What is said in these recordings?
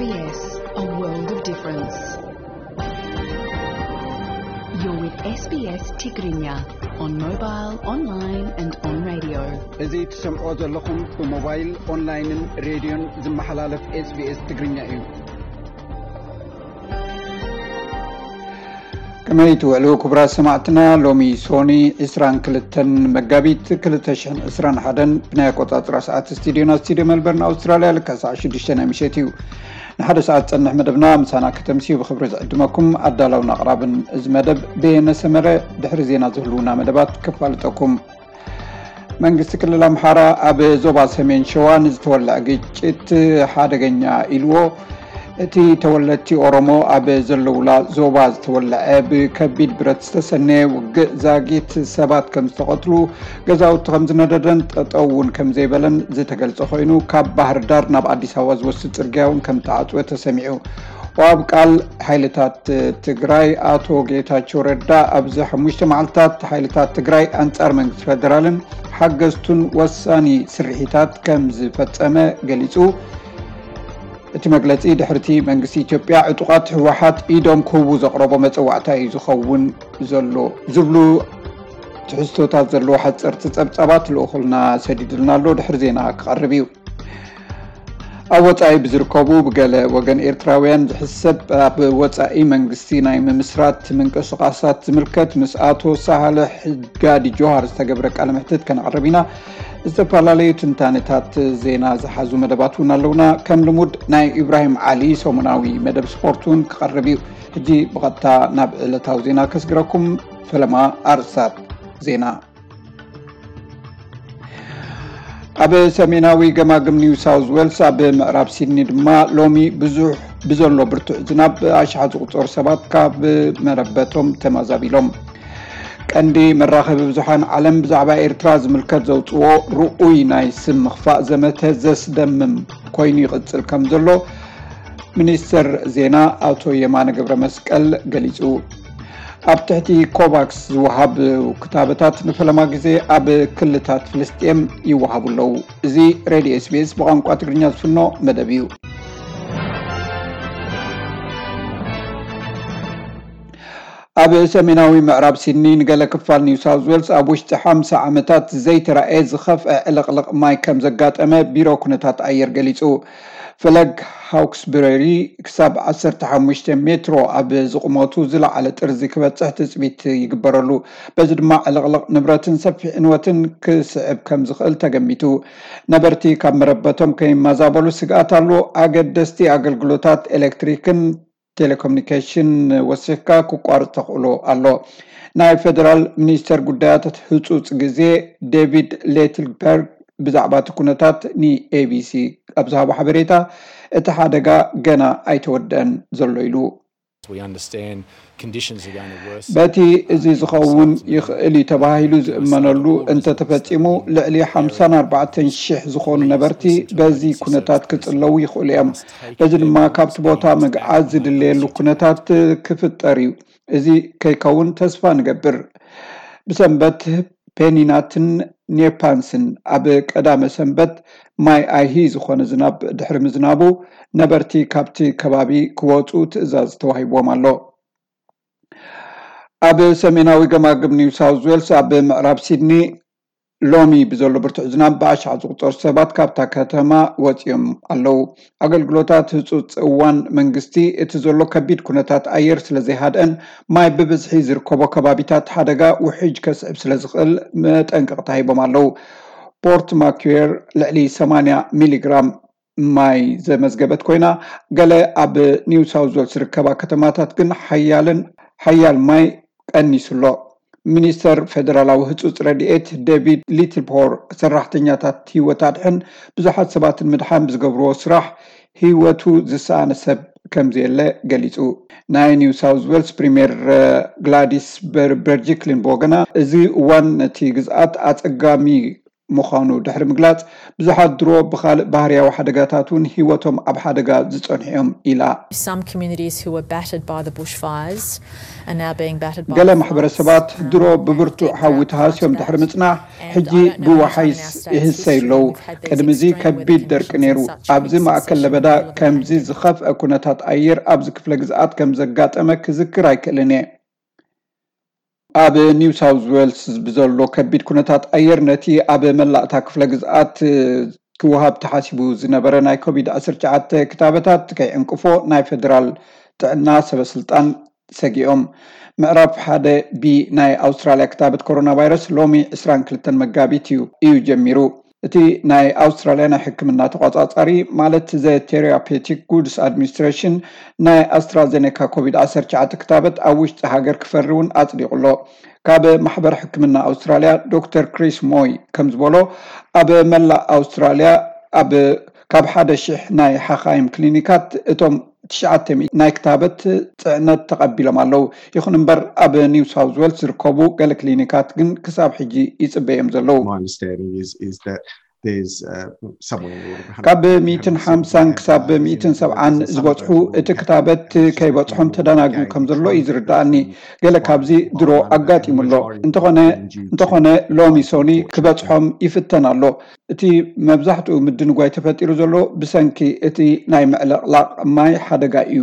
S B S, a world of difference. You're with S B S Tigrinya on mobile, online and on radio. እዚ ትሰምዖ ዘለኹም ብሞባይል፣ ኦንላይንን ሬድዮን ዝመሓላለፍ S B S ትግርኛ እዩ። ከመይ ትውዕሉ ክቡራት ሰማዕትና? ሎሚ ሶኒ ዕስራን ክልተን መጋቢት ክልተ ሽሕን ዕስራን ሓደን ብናይ ኣቆጻጽራ ሰዓት ስቱዲዮና ስቱዲዮ መልበርን ኣውስትራልያ ልክዕ ሰዓት ሽዱሽተ ናይ ምሸት እዩ። ንሓደ ሰዓት ዝጸንሕ መደብና ምሳና ከተምስዩ ብኽብሪ ዝዕድመኩም ኣዳላውን ኣቕራብን እዚ መደብ በየነ ሰመረ። ድሕሪ ዜና ዝህልውና መደባት ከፋልጠኩም። መንግስቲ ክልል ኣምሓራ ኣብ ዞባ ሰሜን ሸዋ ንዝተወልዐ ግጭት ሓደገኛ ኢልዎ። እቲ ተወለድቲ ኦሮሞ ኣብ ዘለውላ ዞባ ዝተወልዐ ብከቢድ ብረት ዝተሰነየ ውግእ ዛጊት ሰባት ከም ዝተቐትሉ፣ ገዛውቲ ከም ዝነደደን ጠጠው እውን ከም ዘይበለን ዝተገልጸ ኮይኑ፣ ካብ ባህር ዳር ናብ ኣዲስ ኣበባ ዝወስድ ጽርግያ እውን ከም ተዓጽወ ተሰሚዑ። ወሃብ ቃል ሓይልታት ትግራይ ኣቶ ጌታቸው ረዳ ኣብዚ ሓሙሽተ መዓልታት ሓይልታት ትግራይ ኣንጻር መንግስቲ ፌደራልን ሓገዝቱን ወሳኒ ስርሒታት ከም ዝፈጸመ ገሊጹ። እቲ መግለጺ ድሕርቲ መንግስቲ ኢትዮጵያ ዕጡቓት ህወሓት ኢዶም ክህቡ ዘቕረቦ መጸዋዕታ እዩ ዝኸውን ዘሎ ዝብሉ ትሕዝቶታት ዘለዎ ሓጸርቲ ጸብጻባት ልኡኹልና ሰዲዱልና ኣሎ። ድሕሪ ዜና ክቐርብ እዩ። ኣብ ወጻኢ ብዝርከቡ ብገለ ወገን ኤርትራውያን ዝሕሰብ ኣብ ወጻኢ መንግስቲ ናይ ምምስራት ምንቅስቓሳት ዝምልከት ምስ ኣቶ ሳልሕ ጋዲ ጆሃር ዝተገብረ ቃለ መሕትት ከነቕርብ ኢና። ዝተፈላለዩ ትንታነታት ዜና ዝሓዙ መደባት እውን ኣለውና። ከም ልሙድ ናይ ኢብራሂም ዓሊ ሰሙናዊ መደብ ስፖርት እውን ክቐርብ እዩ። ሕጂ ብቐጥታ ናብ ዕለታዊ ዜና ከስግረኩም። ፈለማ ኣርእስታት ዜና። ኣብ ሰሜናዊ ገማግም ኒው ሳውዝ ዌልስ ኣብ ምዕራብ ሲድኒ ድማ ሎሚ ብዙሕ ብዘሎ ብርቱዕ ዝናብ ብኣሽሓት ዝቑጸሩ ሰባት ካብ መረበቶም ተመዛቢሎም። ቀንዲ መራኸቢ ብዙሓን ዓለም ብዛዕባ ኤርትራ ዝምልከት ዘውጽዎ ርኡይ ናይ ስም ምኽፋእ ዘመተ ዘስደምም ኮይኑ ይቕጽል ከም ዘሎ ሚኒስተር ዜና ኣቶ የማነ ገብረ መስቀል ገሊጹ። ኣብ ትሕቲ ኮቫክስ ዝወሃብ ክታበታት ንፈለማ ግዜ ኣብ ክልታት ፍልስጤም ይወሃቡ ኣለዉ። እዚ ሬድዮ S B S ብቋንቋ ትግርኛ ዝፍኖ መደብ እዩ። ኣብ ሰሜናዊ ምዕራብ ሲድኒ ንገለ ክፋል ኒው ሳውዝ ዌልስ ኣብ ውሽጢ ሓምሳ ዓመታት ዘይተራእየ ዝኸፍአ ዕልቕልቕ ማይ ከም ዘጋጠመ ቢሮ ኩነታት ኣየር ገሊጹ። ፈለግ ሃውክስበሪ ክሳብ ዓሰርተ ሓሙሽተ ሜትሮ ኣብ ዝቕመቱ ዝለዓለ ጥርዚ ክበጽሕ ትጽቢት ይግበረሉ። በዚ ድማ ዕልቕልቕ ንብረትን ሰፊሕ ዕንወትን ክስዕብ ከም ዝኽእል ተገሚቱ። ነበርቲ ካብ መረበቶም ከይመዛበሉ ስግኣት ኣሎ። ኣገደስቲ ኣገልግሎታት ኤሌክትሪክን ቴሌኮሙኒኬሽን ወሲኽካ ክቋርጽ ተኽእሎ ኣሎ። ናይ ፌደራል ሚኒስተር ጉዳያት ህጹጽ ግዜ ዴቪድ ሌትልበርግ ብዛዕባ እቲ ኩነታት ን A B C ኣብ ዝሃቦ ሓበሬታ፣ እቲ ሓደጋ ገና ኣይተወደአን ዘሎ ኢሉ። We understand conditions are going to worsen. በቲ እዚ ዝኸውን ይኽእል እዩ ተባሂሉ ዝእመነሉ እንተተፈጺሙ፣ ልዕሊ ሓምሳን ኣርባዕተን ሽሕ ዝኾኑ ነበርቲ በዚ ኩነታት ክጽለዉ ይኽእሉ እዮም። በዚ ድማ ካብቲ ቦታ ምግዓዝ ዝድለየሉ ኩነታት ክፍጠር እዩ። እዚ ከይከውን ተስፋ ንገብር። ብሰንበት ፔኒናትን ኔፓንስን ኣብ ቀዳመ ሰንበት ማይ ኣይሂ ዝኾነ ዝናብ ድሕሪ ምዝናቡ፣ ነበርቲ ካብቲ ከባቢ ክወጹ ትእዛዝ ተዋሂብዎም ኣሎ። ኣብ ሰሜናዊ ገማግም ኒው ሳውዝ ዌልስ ኣብ ምዕራብ ሲድኒ ሎሚ ብዘሎ ብርቱዕ ዝናብ ብኣሽሓት ዝቑጸሩ ሰባት ካብታ ከተማ ወጺኦም ኣለዉ። ኣገልግሎታት ህጹጽ እዋን መንግስቲ እቲ ዘሎ ከቢድ ኩነታት ኣየር ስለ ዘይሃድአን ማይ ብብዝሒ ዝርከቦ ከባቢታት ሓደጋ ውሕጅ ከስዕብ ስለ ዝኽእል መጠንቀቕታ ሂቦም ኣለዉ። ፖርት ማኩዌር ልዕሊ ሰማንያ ሚሊግራም ማይ ዘመዝገበት ኮይና፣ ገለ ኣብ ኒው ሳውዝ ዌልስ ዝርከባ ከተማታት ግን ሓያልን ሓያል ማይ ቀኒሱ ኣሎ። ሚኒስተር ፌደራላዊ ህጹጽ ረድኤት ዴቪድ ሊትልፖር ሰራሕተኛታት ህይወት ኣድሕን ብዙሓት ሰባትን ምድሓን ብዝገብርዎ ስራሕ ህይወቱ ዝሰኣነ ሰብ ከም ዘየለ ገሊጹ። ናይ ኒው ሳውዝ ዌልስ ፕሪምየር ግላዲስ በርበርጂክሊን ብወገና፣ እዚ እዋን ነቲ ግዝኣት ኣጸጋሚ ምዃኑ ድሕሪ ምግላጽ፣ ብዙሓት ድሮ ብኻልእ ባህርያዊ ሓደጋታት እውን ህይወቶም ኣብ ሓደጋ ዝጸንሑ እዮም ኢላ። Some communities who were battered by the bushfires are now being battered by ገለ ማሕበረሰባት ድሮ ብብርቱዕ ሓዊ ተሃስዮም ድሕሪ ምጽናሕ ሕጂ ብወሓይስ ይህሰዩ ኣለዉ። ቅድሚ እዚ ከቢድ ደርቂ ነይሩ። ኣብዚ ማእከል ለበዳ ከምዚ ዝኸፍአ ኩነታት ኣየር ኣብዚ ክፍለ ግዝኣት ከም ዘጋጠመ ክዝክር ኣይክእልን እየ። ኣብ ኒው ሳውዝ ዌልስ ብዘሎ ከቢድ ኩነታት ኣየር ነቲ ኣብ መላእታ ክፍለ ግዝኣት ክወሃብ ተሓሲቡ ዝነበረ ናይ ኮቪድ ዓሰርተ ትሽዓተ ክታበታት ከይዕንቅፎ ናይ ፌደራል ጥዕና ሰበስልጣን ሰጊኦም። ምዕራፍ ሓደ ቢ ናይ ኣውስትራልያ ክታበት ኮሮና ቫይረስ ሎሚ ዕስራን ክልተን መጋቢት እዩ እዩ ጀሚሩ። እቲ ናይ ኣውስትራልያ ናይ ሕክምና ተቆጻጻሪ ማለት ዘ ቴራፔቲክ ጉድስ ኣድሚኒስትሬሽን ናይ ኣስትራዜኔካ ኮቪድ ዓሰርተ ትሽዓተ ክታበት ኣብ ውሽጢ ሃገር ክፈሪ እውን ኣጽዲቑ ኣሎ። ካብ ማሕበር ሕክምና ኣውስትራልያ ዶክተር ክሪስ ሞይ ከም ዝበሎ ኣብ መላእ ኣውስትራልያ ኣብ ካብ ሓደ ሽሕ ናይ ሓኻይም ክሊኒካት እቶም ትሽዓተ ሚእቲ ናይ ክታበት ጽዕነት ተቐቢሎም ኣለዉ። ይኹን እምበር ኣብ ኒው ሳውዝ ዌልስ ዝርከቡ ገለ ክሊኒካት ግን ክሳብ ሕጂ ይጽበዮም ዘለዉ። My understanding is is that there's uh, somewhere in the order of ካብ ሚእትን ሓምሳን ክሳብ ሚእትን ሰብዓን ዝበጽሑ እቲ ክታበት ከይበጽሖም ተደናጊዩ ከም ዘሎ እዩ ዝርዳእኒ። ገለ ካብዚ ድሮ ኣጋጢሙ ኣሎ። እንተኾነ እንተኾነ ሎሚ ሶኒ ክበጽሖም ይፍተን ኣሎ። እቲ መብዛሕትኡ ምድንጓይ ተፈጢሩ ዘሎ ብሰንኪ እቲ ናይ ምዕልቕላቕ ማይ ሓደጋ እዩ።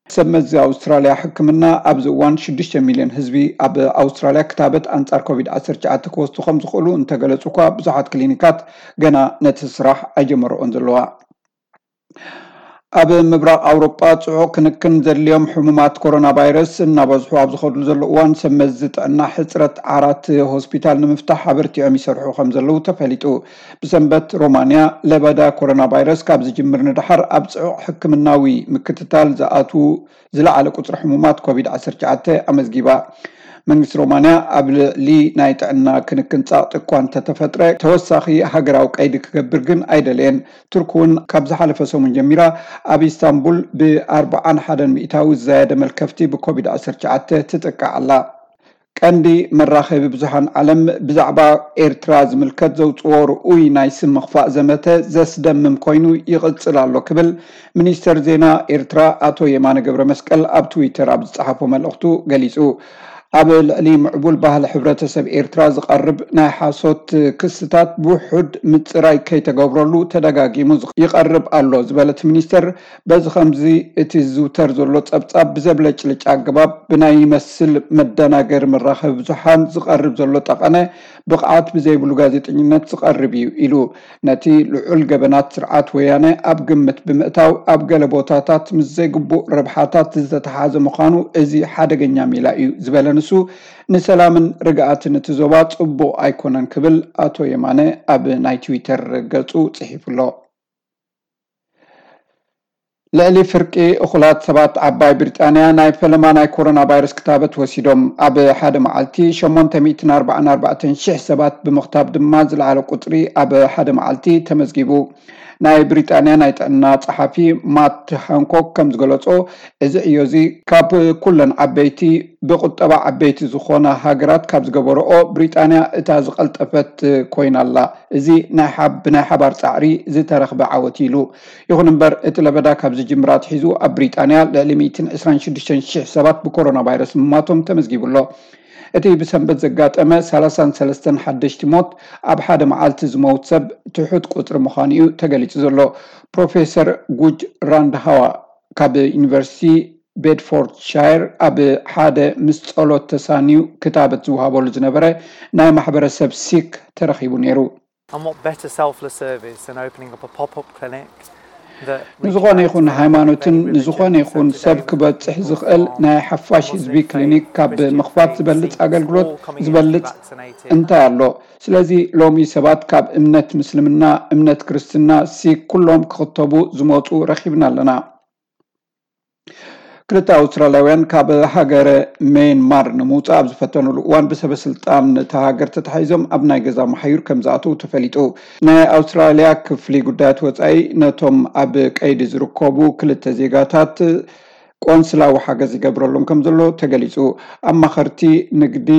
ሰብ መዚ ኣውስትራልያ ሕክምና ኣብዚ እዋን ሽዱሽተ ሚልዮን ህዝቢ ኣብ ኣውስትራልያ ክታበት ኣንጻር ኮቪድ ዓሰርተ ትሽዓተ ክወስዱ ከም ዝኽእሉ እንተገለጹ እኳ ብዙሓት ክሊኒካት ገና ነቲ ስራሕ ኣይጀመርኦን ዘለዋ። ኣብ ምብራቕ ኣውሮጳ ጽዑቕ ክንክን ዘድልዮም ሕሙማት ኮሮና ቫይረስ እናበዝሑ ኣብ ዝኸድሉ ዘሎ እዋን ሰብ መዚ ጥዕና ሕጽረት ዓራት ሆስፒታል ንምፍታሕ ኣበርቲዖም ይሰርሑ ከም ዘለዉ ተፈሊጡ። ብሰንበት ሮማንያ ለበዳ ኮሮና ቫይረስ ካብ ዝጅምር ንደሓር ኣብ ጽዑቕ ሕክምናዊ ምክትታል ዝኣትዉ ዝለዓለ ቁጽሪ ሕሙማት ኮቪድ ዓሰርተ ትሽዓተ ኣመዝጊባ። መንግስቲ ሮማንያ ኣብ ልዕሊ ናይ ጥዕና ክንክን ጻቕጢ እኳ እንተተፈጥረ ተወሳኺ ሃገራዊ ቀይዲ ክገብር ግን ኣይደለየን። ቱርክ እውን ካብ ዝሓለፈ ሰሙን ጀሚራ ኣብ ኢስታንቡል ብኣርብዓን ሓደን ሚእታዊ ዝዛየደ መልከፍቲ ብኮቪድ ዓሰርተ ትሽዓተ ትጥቃዕ ኣላ። ቀንዲ መራኸቢ ብዙሓን ዓለም ብዛዕባ ኤርትራ ዝምልከት ዘውፅዎ ርኡይ ናይ ስም ምኽፋእ ዘመተ ዘስደምም ኮይኑ ይቕፅል ኣሎ ክብል ሚኒስተር ዜና ኤርትራ ኣቶ የማነ ገብረ መስቀል ኣብ ትዊተር ኣብ ዝፀሓፎ መልእኽቱ ገሊፁ። ኣብ ልዕሊ ምዕቡል ባህሊ ሕብረተሰብ ኤርትራ ዝቐርብ ናይ ሓሶት ክስታት ብውሑድ ምፅራይ ከይተገብረሉ ተደጋጊሙ ይቐርብ ኣሎ ዝበለት ሚኒስተር፣ በዚ ከምዚ እቲ ዝዝውተር ዘሎ ጸብጻብ ብዘብለጭልጭ ኣገባብ ብናይ ይመስል መደናገሪ መራኸቢ ብዙሓን ዝቐርብ ዘሎ ጠቐነ ብቕዓት ብዘይብሉ ጋዜጠኝነት ዝቐርብ እዩ ኢሉ። ነቲ ልዑል ገበናት ስርዓት ወያነ ኣብ ግምት ብምእታው ኣብ ገለ ቦታታት ምስ ዘይግቡእ ረብሓታት ዝተተሓዘ ምዃኑ እዚ ሓደገኛ ሜላ እዩ ዝበለ ንሱ፣ ንሰላምን ርግኣትን እቲ ዞባ ጽቡቕ ኣይኮነን ክብል ኣቶ የማነ ኣብ ናይ ትዊተር ገጹ ጽሒፉ ኣሎ። ልዕሊ ፍርቂ እኹላት ሰባት ዓባይ ብሪጣንያ ናይ ፈለማ ናይ ኮሮና ቫይረስ ክታበት ወሲዶም። ኣብ ሓደ መዓልቲ ሸሞንተ ሚእትን ኣርባዓን ኣርባዕተን ሽሕ ሰባት ብምኽታብ ድማ ዝለዓለ ቁጽሪ ኣብ ሓደ መዓልቲ ተመዝጊቡ። ናይ ብሪጣንያ ናይ ጥዕና ጸሓፊ ማት ሃንኮክ ከም ዝገለጾ፣ እዚ ዕዮ እዚ ካብ ኩለን ዓበይቲ ብቁጠባ ዓበይቲ ዝኾና ሃገራት ካብ ዝገበረኦ ብሪጣንያ እታ ዝቐልጠፈት ኮይና ኣላ። እዚ ናይ ሓብ-፣ ብናይ ሓባር ጻዕሪ ዝተረኽበ ዓወት ኢሉ። ይኹን እምበር እቲ ለበዳ ካብ ዝጅምር ኣትሒዙ ኣብ ብሪጣንያ ልዕሊ ሚእትን ዕስራን ሽዱሽተን ሽሕ ሰባት ብኮሮና ቫይረስ ምማቶም ተመዝጊቡ ኣሎ። እቲ ብሰንበት ዘጋጠመ ሰላሳን ሰለስተን ሓደሽቲ ሞት ኣብ ሓደ መዓልቲ ዝመውት ሰብ ትሑት ቁጽሪ ምዃኑ እዩ ተገሊጹ ዘሎ። ፕሮፌሰር ጉጅ ራንድሃዋ ካብ ዩኒቨርሲቲ ቤድፎርድሻየር ኣብ ሓደ ምስ ጸሎት ተሳንዩ ክታበት ዝወሃበሉ ዝነበረ ናይ ማሕበረሰብ ሲክ ተረኺቡ ነይሩ። And what better selfless service than opening up a pop-up clinic that we ንዝኾነ can ይኹን provide ሃይማኖትን very ንዝኾነ religion ይኹን today ሰብ with ክበጽሕ Muslim ዝኽእል ናይ ሓፋሽ ህዝቢ faith, ክሊኒክ ካብ Christian ምኽፋት faith, ዝበልጽ Sikhs, ኣገልግሎት all coming in to be ዝበልጽ vaccinated. እንታይ ኣሎ? ስለዚ ሎሚ ሰባት ካብ እምነት ምስልምና፣ እምነት ክርስትና፣ ሲክ ኩሎም ክኽተቡ ዝመጹ ረኺብና ኣለና። ክልተ ኣውስትራልያውያን ካብ ሃገረ ሜንማር ንምውጻእ ኣብ ዝፈተኑሉ እዋን ብሰበ ስልጣን እታ ሃገር ተታሒዞም ኣብ ናይ ገዛ መሓዩር ከም ዝኣተዉ ተፈሊጡ። ናይ ኣውስትራልያ ክፍሊ ጉዳያት ወጻኢ ነቶም ኣብ ቀይዲ ዝርከቡ ክልተ ዜጋታት ቆንስላዊ ሓገዝ ይገብረሎም ከም ዘሎ ተገሊጹ። ኣማኸርቲ ንግዲ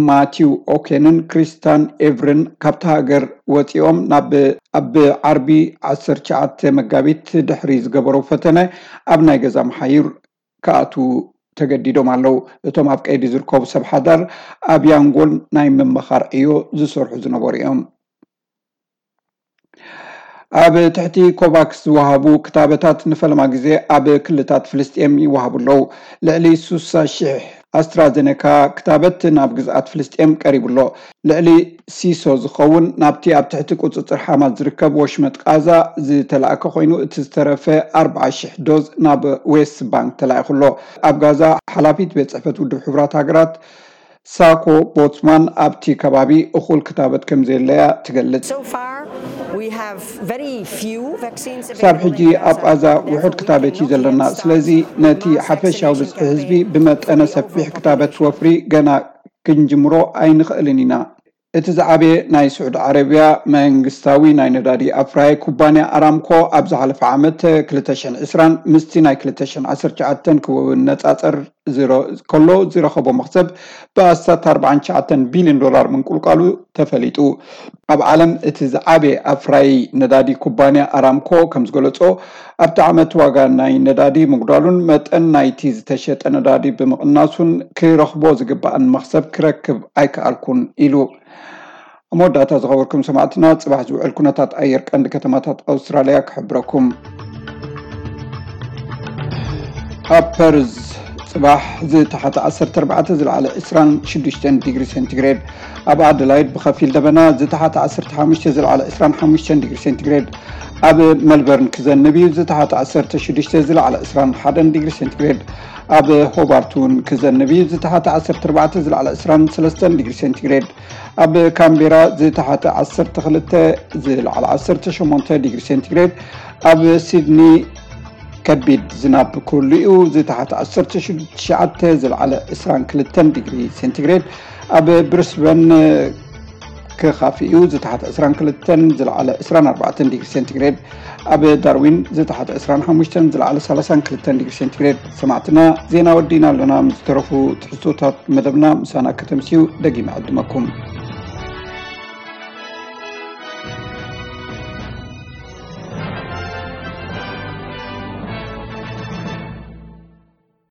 ማቲው ኦኬንን ክሪስታን ኤቭርን ካብታ ሃገር ወፂኦም ናብ ኣብ ዓርቢ ዓሰርተ ትሽዓተ መጋቢት ድሕሪ ዝገበሮ ፈተነ ኣብ ናይ ገዛ መሓይር ክኣትዉ ተገዲዶም ኣለዉ። እቶም ኣብ ቀይዲ ዝርከቡ ሰብ ሓዳር ኣብ ያንጎን ናይ ምምኻር ዕዮ ዝሰርሑ ዝነበሩ እዮም። ኣብ ትሕቲ ኮቫክስ ዝወሃቡ ክታበታት ንፈለማ ግዜ ኣብ ክልታት ፍልስጤም ይወሃቡ ኣለዉ። ልዕሊ ስሳ ሽሕ ኣስትራዘነካ ክታበት ናብ ግዝኣት ፍልስጤም ቀሪቡ ኣሎ። ልዕሊ ሲሶ ዝኸውን ናብቲ ኣብ ትሕቲ ቁጽጽር ሓማስ ዝርከብ ወሽመጥ ቃዛ ዝተላእከ ኮይኑ፣ እቲ ዝተረፈ ኣርብዓ ሽሕ ዶዝ ናብ ዌስት ባንክ ተላኢኹ ኣሎ። ኣብ ጋዛ ሓላፊት ቤት ጽሕፈት ውድብ ሕቡራት ሃገራት ሳኮ ቦትስማን ኣብቲ ከባቢ እኹል ክታበት ከም ዘየለያ ትገልጽ። So far, we have very few vaccines ክሳብ available ሕጂ in Gaza. ኣብ ቃዛ ውሑድ ክታበት እዩ ዘለና። ስለዚ ነቲ ሓፈሻዊ ብዝሒ ህዝቢ ብመጠነ ሰፊሕ ክታበት ወፍሪ ገና ክንጅምሮ ኣይንኽእልን ኢና። እቲ ዝዓበየ ናይ ስዑዲ ዓረብያ መንግስታዊ ናይ ነዳዲ ኣፍራይ ኩባንያ ኣራምኮ ኣብ ዝሓለፈ ዓመት ክልተ ሽሕን ዕስራን ምስቲ ናይ ክልተ ሽሕን ዓሰርተ ትሽዓተን ክነጻጸር ዝረ- ከሎ ዝረኸቦ መኽሰብ ብኣስታት ኣርባዓን ትሽዓተን ቢልዮን ዶላር ምንቁልቋሉ ተፈሊጡ። ኣብ ዓለም እቲ ዝዓበየ ኣፍራይ ነዳዲ ኩባንያ ኣራምኮ ከም ዝገለጾ ኣብቲ ዓመት ዋጋ ናይ ነዳዲ ምጉዳሉን መጠን ናይቲ ዝተሸጠ ነዳዲ ብምቕናሱን ክረኽቦ ዝግባእን መኽሰብ ክረክብ ኣይከኣልኩን ኢሉ። ኣብ መወዳእታ ዝኸበርኩም ሰማዕትና፣ ጽባሕ ዝውዕል ኩነታት ኣየር ቀንዲ ከተማታት ኣውስትራልያ ክሕብረኩም። ኣብ ፐርዝ ጽባሕ ዝተሓተ ዓሰርተ ኣርባዕተ፣ ዝለዓለ ዕስራን ሽዱሽተን ዲግሪ ሴንቲግሬድ። ኣብ ኣደላይድ ብኸፊል ደበና ዝተሓተ ዓሰርተ ሓሙሽተ፣ ዝለዓለ ዕስራን ሓሙሽተን ዲግሪ ሴንቲግሬድ። ኣብ መልበርን ክዘንብ እዩ፣ ዝተሓተ ዓሰርተ ሽዱሽተ፣ ዝለዓለ ዕስራን ሓደን ዲግሪ ሴንቲግሬድ። ኣብ ሆባርት እውን ክዘንብ እዩ፣ ዝተሓተ ዓሰርተ ኣርባዕተ፣ ዝለዓለ ዕስራን ሰለስተን ዲግሪ ሴንቲግሬድ። ኣብ ካምቤራ ዝተሓተ ዓሰርተ ክልተ፣ ዝለዓለ ዓሰርተ ሸሞንተ ዲግሪ ሴንቲግሬድ። ኣብ ሲድኒ ከቢድ ዝናብ ክህሉ እዩ፣ ዝተሓተ ዓሰርተ ትሽዓተ፣ ዝለዓለ ዕስራን ክልተን ዲግሪ ሴንቲግሬድ። ኣብ ብሪስበን ክኻፍእ እዩ፣ ዝተሓተ ዕስራን ክልተን፣ ዝለዓለ ዕስራን ኣርባዕተን ዲግሪ ሴንቲግሬድ። ኣብ ዳርዊን ዝተሓተ ዕስራን ሓሙሽተን፣ ዝለዓለ ሰላሳን ክልተን ዲግሪ ሴንቲግሬድ። ሰማዕትና፣ ዜና ወዲእና ኣለና። ምስ ዝተረፉ ትሕዝቶታት መደብና ምሳና ከተምስዩ ደጊመ ዕድመኩም።